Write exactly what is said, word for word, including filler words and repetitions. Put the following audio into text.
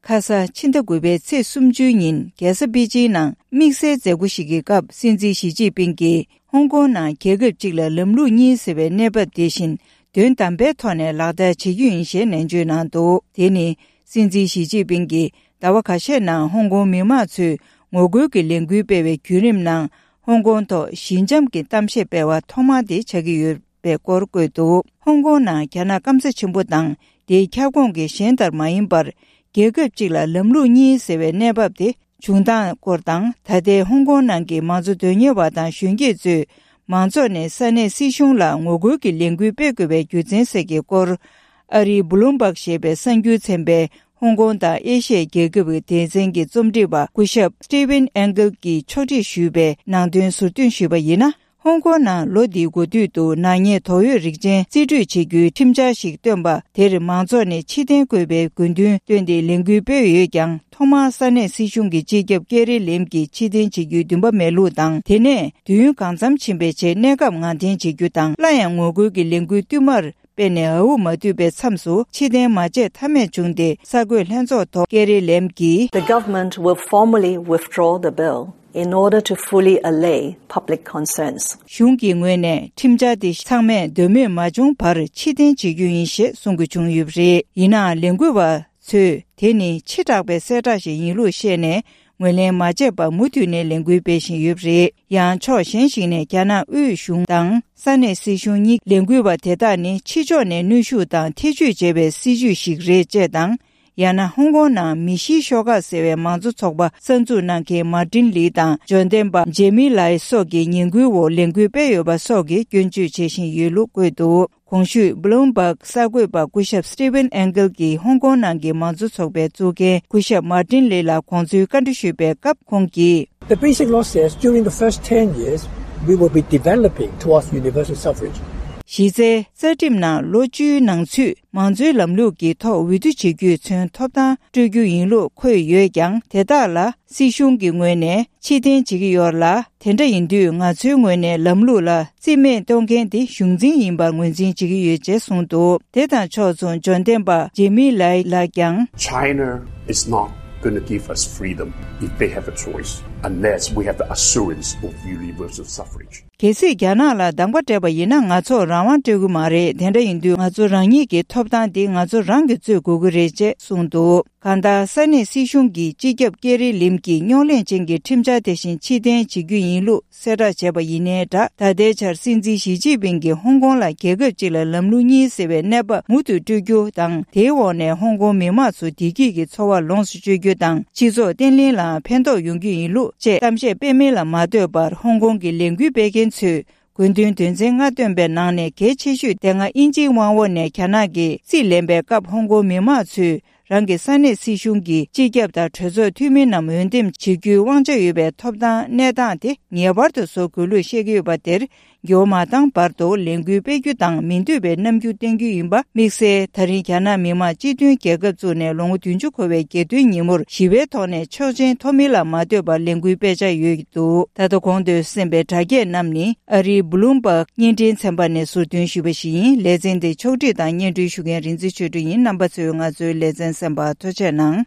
ཁ་ས་ཕྱི་ཟླ་དགུ་པའི་ཚེས་སུམ་ཅུའི་ཉིན་རྒྱལ་ས་པེ་ཅིང་ནང་དམིགས་བསལ་མཛད་སྒོ་ཞིག་གི་སྐབས། སྲིད་འཛིན་ཞི་ཅིན་ཕིང་གིས་ཧོང་ཀོང་ནང་རྒྱལ་ཁབ་གཅིག་ལ་ལམ་ལུགས་གཉིས་ཟེར་བའི་གནས་བབ་དེ་བཞིན་དོན་དམ་པའི་ཐོག་ནས་ལག་བསྟར་བྱེད་རྒྱུ་ཡིན་ཞེས་ནན་བརྗོད་གནང་འདུག་དེ་ནི་སྲིད་འཛིན་ཞི་ཅིན་ཕིང་གིས་ཟླ་བ་ཁ་ཤས་ནང་ཧོང་ཀོང་མི་མང་ཚོས་ངོ་རྒོལ་གྱི་ལས་འགུལ་སྤེལ་བའི་བརྒྱུད་རིམ་ནང་ཧོང་ཀོང་ཐོག་ཞི་འཇམ་གྱི་གཏམ་བཤད་སྤེལ་བ་ཐོག་མ་དེ་ཆགས་ཀྱི་ཡོད་པའི་སྐོར་བཀོད་འདུག་ཧོང་ཀོང་ནང་རྒྱ་ནག་སྐམ་ས་ཆེན་པོ་དང་དེའི་ཁྱབ་ཁོངས་ཀྱི་གཞན་ལྟར་མ་ཡིན་པར། རྒྱལ་ཁབ་གཅིག་ལ་ལམ་ལུགས་གཉིས་ཟེར་བའི་གནས་བབ་དེ་བྱུང་སྟངས་སྐོར་དང་། ད་ལྟའི་ཧོང་ཀོང་ནང་གི་མང་གཙོ་དོན་གཉེར་བ་དང་གཞོན་སྐྱེས་ཚོས་མང་ཚོགས་ནས་ས་གནས་སྲིད་གཞུང་ལ་ངོ་རྒོལ་གྱི་ལས་འགུལ་སྤེལ་དགོས་པའི་རྒྱུ་མཚན་སོགས་ཀྱི་སྐོར། ཨ་རིའི་བྷུ་ལུམ་བྷག་ཞེས་པའི་གསར་འགྱུར་ཚན་པས་ཧོང་ཀོང་དང་ཨེ་ཤི་ཡའི་རྒྱལ་ཁབ་ཀྱི་སྡེ་ཚན་གྱི་རྩོམ་སྒྲིག་པ་སྐུ་ཞབས་Stephen Engel གྱིས་ཕྱོགས་སྒྲིག་ཞུས་པའི་ནང་དོན་ཟུར་འདོན་ཞུས་པ་ཡིན་ན། ཧོང་ཀོང་ནང་ལོ་འདིའི་འགོ་སྟོད་དུ་ནག་ཉེས་དོགས་ཡོད་རིགས་ཅན་རྩིས་སྤྲོད་བྱེད་རྒྱུའི་ཁྲིམས་འཆར་ཞིག་བཏོན་པ་དེར་མང་ཚོགས་ནས་ཕྱིར་འཐེན་དགོས་པའི་དགོས་འདུན་བཏོན་ཏེ་ལས་འགུལ་སྤེལ་ཡོད་ཀྱང་། ཐོག་མར་ས་གནས་སྲིད་གཞུང་གི་སྤྱི་ཁྱབ་ཀེ་རི་ལེམ་གྱིས་ཕྱིར་འཐེན་བྱེད་རྒྱུའི་འདུན་པ་མེད་ལུགས་དང་། དེ་ནས་དུས་ཡུན་གང་འཚམ་ཕྱིན་པའི་རྗེས་གནས་སྐབས་ངང་འཐེན་བྱེད་རྒྱུ་དང་། སླར་ཡང་ངོ་རྒོལ་གྱི་ལས་འགུལ་བསྟུད་མར་སྤེལ་ནས་འུ་མ་བསྡུས་པའི་མཚམས་སུ་ཕྱིར་འཐེན་མ་བྱས་ཐབས་མེད་བྱུང་སྟེ། གསར་འགོད་ལྷན་ཚོགས་ཐོག་ཀེ་རི་ལེམ་གྱིས། The government will formally withdraw the bill in order to fully allay public concerns. གཞུང་གི་ངོས་ནས་ཁྲིམས་འཆར་དེ་ཚང་མས་འདོད་མོས་མ་བྱུང་བར་ཕྱིར་འཐེན་བྱེད་རྒྱུ་ཡིན་ཞེས་གསུང་དགོས་བྱུང་ཡོད་པ་རེད། ཡིན་ནའང་ལས་འགུལ་བ་ཚོས་དེ་ནི་ཕྱི་དྲགས་པའི་གསལ་བསྒྲགས་ཤིག་ཡིན་ལུགས་བཤད་ནས། ངོས་ལེན་མ་བྱས་པར་མུ་མཐུད་ནས་ལས་འགུལ་སྤེལ་བཞིན་ཡོད་པ་རེད། ཡང་ཕྱོགས་གཞན་ཞིག་ནས་རྒྱ་ནག་དབུས་གཞུང་དང་ས་གནས་སྲིད་གཞུང་གཉིས་ལས་འགུལ་བ་དེ་དག་ནི་ཕྱི་ཕྱོགས་ནས་གནོན་ཤུགས་དང་ཐེ་ཇུས་བྱས་པའི་སྲིད་ཇུས་ཤིག་རེད་ཅེས་དང་། ཡང་ན་ཧོང་ཀོང་ནང་མི་ཤིའི་ཤོག་ཁག་ཟེར་བའི་མང་གཙོ་ཚོགས་པ་གསར་འཛུགས་གནང་མཁན་མར་ཏིན་ལི་དང་འབྱོར་ལྡན་པ་ཇེ་མི་ལའི་སོགས་ཀྱི་ངན་སྐུལ་འོག་ལས་འགུལ་སྤེལ་ཡོད་པ་སོགས་ཀྱི་སྐྱོན་བརྗོད་བྱེད་བཞིན་ཡོད་ལུགས་བཀོད་འདུག་གོང་ཞུས་Bloomberg གསར་འགོད་པ་སྐུ་ཞབས་Stephen Engel གྱིས་ཧོང་ཀོང་ནང་གི་མང་གཙོ་ཚོགས་པའི་གཙོ་འགན་སྐུ་ཞབས་མར་ཏིན་ལི་ལ་དགོངས་ཚུལ་བཀའ་འདྲི་ཞུས་པའི་སྐབས་ཁོང་གིས། The Basic Law says during the first ten years, we will be developing towards universal suffrage. གཞི་རྩའི་རྩ་ཁྲིམས་ནང་ལོ་བཅུའི་ནང་ཚུད་མང་གཙོའི་ལམ་ལུགས་ཀྱི་ཐོག་འོས་བསྡུ་བྱེད་རྒྱུས་མཚོན་ཐོབ་ཐང་སྤྲོད་རྒྱུ་ཡིན་ལུགས་འཁོད་ཡོད་ཀྱང་། དེ་དག་ལ་སྲིད་གཞུང་གི་ངོས་ནས་ཕྱིར་འཐེན་བྱེད་ཀྱི་ཡོད་ལ། དེ་འདྲ་ཡིན་དུས་ང་ཚོའི་ངོས་ནས་ལམ་ལུགས་ལ་རྩིས་མེད་གཏོང་མཁན་དེ་གཞུང་འཛིན་ཡིན་པར་ངོས་འཛིན་བྱེད་ཀྱི་ཡོད་ཅེས་གསུངས་འདུག་དེ་དང་ཕྱོགས་མཚུངས་འབྱོར་ལྡན་པ་ཇེ་མི་ལའི་ལགས་ཀྱང་། China is not going to give us freedom if they have a choice, unless we have the assurance of universal suffrage. གལ་སྲིད་རྒྱ་ནག་ལ་སྡང་པ་སྤྲད་པ་ཡིན་ན། ང་ཚོར་རང་དབང་སྤྲད་ཀྱི་མ་རེད། དེ་འདྲ་ཡིན་དུས་ང་ཚོ་རང་ཉིད་ཀྱི་ཐོབ་ཐང་འདི་ང་ཚོ་རང་གིས་རྩོད་དགོས་ཀྱི་རེད་ཅེས་གསུངས་འདུག་གང་ལྟར་ས་གནས་སྲིད་གཞུང་གིས་སྤྱི་ཁྱབ་ཀེ་རི་ལིམ་གྱི་རྙོག་གླེང་ཅན་གྱི་ཁྲིམས་འཆར་དེ་བཞིན་ཕྱིར་འཐེན་བྱེད་རྒྱུ་ཡིན་ལུགས་གསལ་བསྒྲགས་བྱས་པ་ཡིན་ནའི་འདྲ། ད་ལྟའི་ཆར་སྲིད་འཛིན་ཞི་ཅིན་ཕིང་གིས་ཧོང་ཀོང་ལ་རྒྱལ་ཁབ་གཅིག་ལ་ལམ་ལུགས་གཉིས་ཟེར་བའི་གནས་བབ་མུ་མཐུད་སྤྲོད་རྒྱུ་དང་། དེའི་འོག་ནས་ཧོང་ཀོང་མི་མང་ཚོ་བདེ་སྐྱིད་ཀྱི་འཚོ་བ་ལོངས་སུ་སྤྱོད་རྒྱུ་དང་། སྤྱི་ཚོགས་བརྟན་ལྷིང་ལའང་ཕན་ཐོགས་ཡོང་རྒྱུ་ཡིན་ལུགས་བཅས་གཏམ་བཤད་སྤེལ་མིན་ལ་མ་ལྟོས་པར། ཧོང་ཀོང་གི་ལས་འགུལ་སྤེལ་མཁན་ཚོས་དགོས་འདུན་དོན་ཚན་ལྔ་བཏོན་པའི་ནང་ནས་གལ་ཆེ་ཤོས་དེ་སྔ་དབྱིན་ཇིའི་དབང་འོག་ནས་རྒྱ་ནག་གིས་རྩིས་ལེན་པའི་སྐབས། ཧོང་ཀོང་མི་མང་ཚོས་རང་གི་ས་གནས་སྲིད་གཞུང་གི་སྤྱི་ཁྱབ་དང་གྲོས་ཚོགས་འཐུས་མི་རྣམས་འོས་འདེམས་བྱེད་རྒྱུའི་དབང་ཆ་ཡོད་པའི་ཐོབ་ཐང་གནས་སྟངས་དེ་ངེས་པར་དུ་བཟོ་དགོས་ལུགས་བཤད་ཀྱི་ཡོད་པ་དེར། འགྱུར་བ་མ་བཏང་བར་དུ་ལས་འགུལ་སྤེལ་རྒྱུ་དང་། མི་འདོད་པའི་རྣམ་འགྱུར་བསྟན་རྒྱུ་ཡིན་པ་དམིགས་བསལ། ད་རིང་རྒྱ་ནག་མི་དམངས་སྤྱི་མཐུན་རྒྱལ་ཁབ་བཙུགས་ནས་ལོ་ངོ་བདུན་ཅུ་འཁོར་བའི་རྒྱལ་སྟོན་ཉིན་མོར་ཞི་བའི་ཐོག་ནས་ཆོག་མཆན་ཐོབ་མིན་ལ་མ་ལྟོས་པར་ལས་འགུལ་སྤེལ་འཆར་ཡོད་འདུག་ད་ལྟ་གོང་དུ་གསན་པའི་དྲ་རྒྱའི་རྣམས་ནི་ཨ་རིའི་Bloomberg བརྙན་འཕྲིན་ཚན་པ་ནས་ཟུར་འདོན་ཞུས་པ་ཞིག་ཡིན། ལེ་ཚན་འདི་ཕྱོགས་སྒྲིག་དང་སྙན་སྒྲོན་ཞུ་མཁན་རིག་འཛིན་ཆོས་སྒྲོན་ཡིན། རྣམ་པ་ཚོས་ང་ཚོའི་ལེ་ཚན་གསན་པར་ཐུགས་རྗེ་གནང་།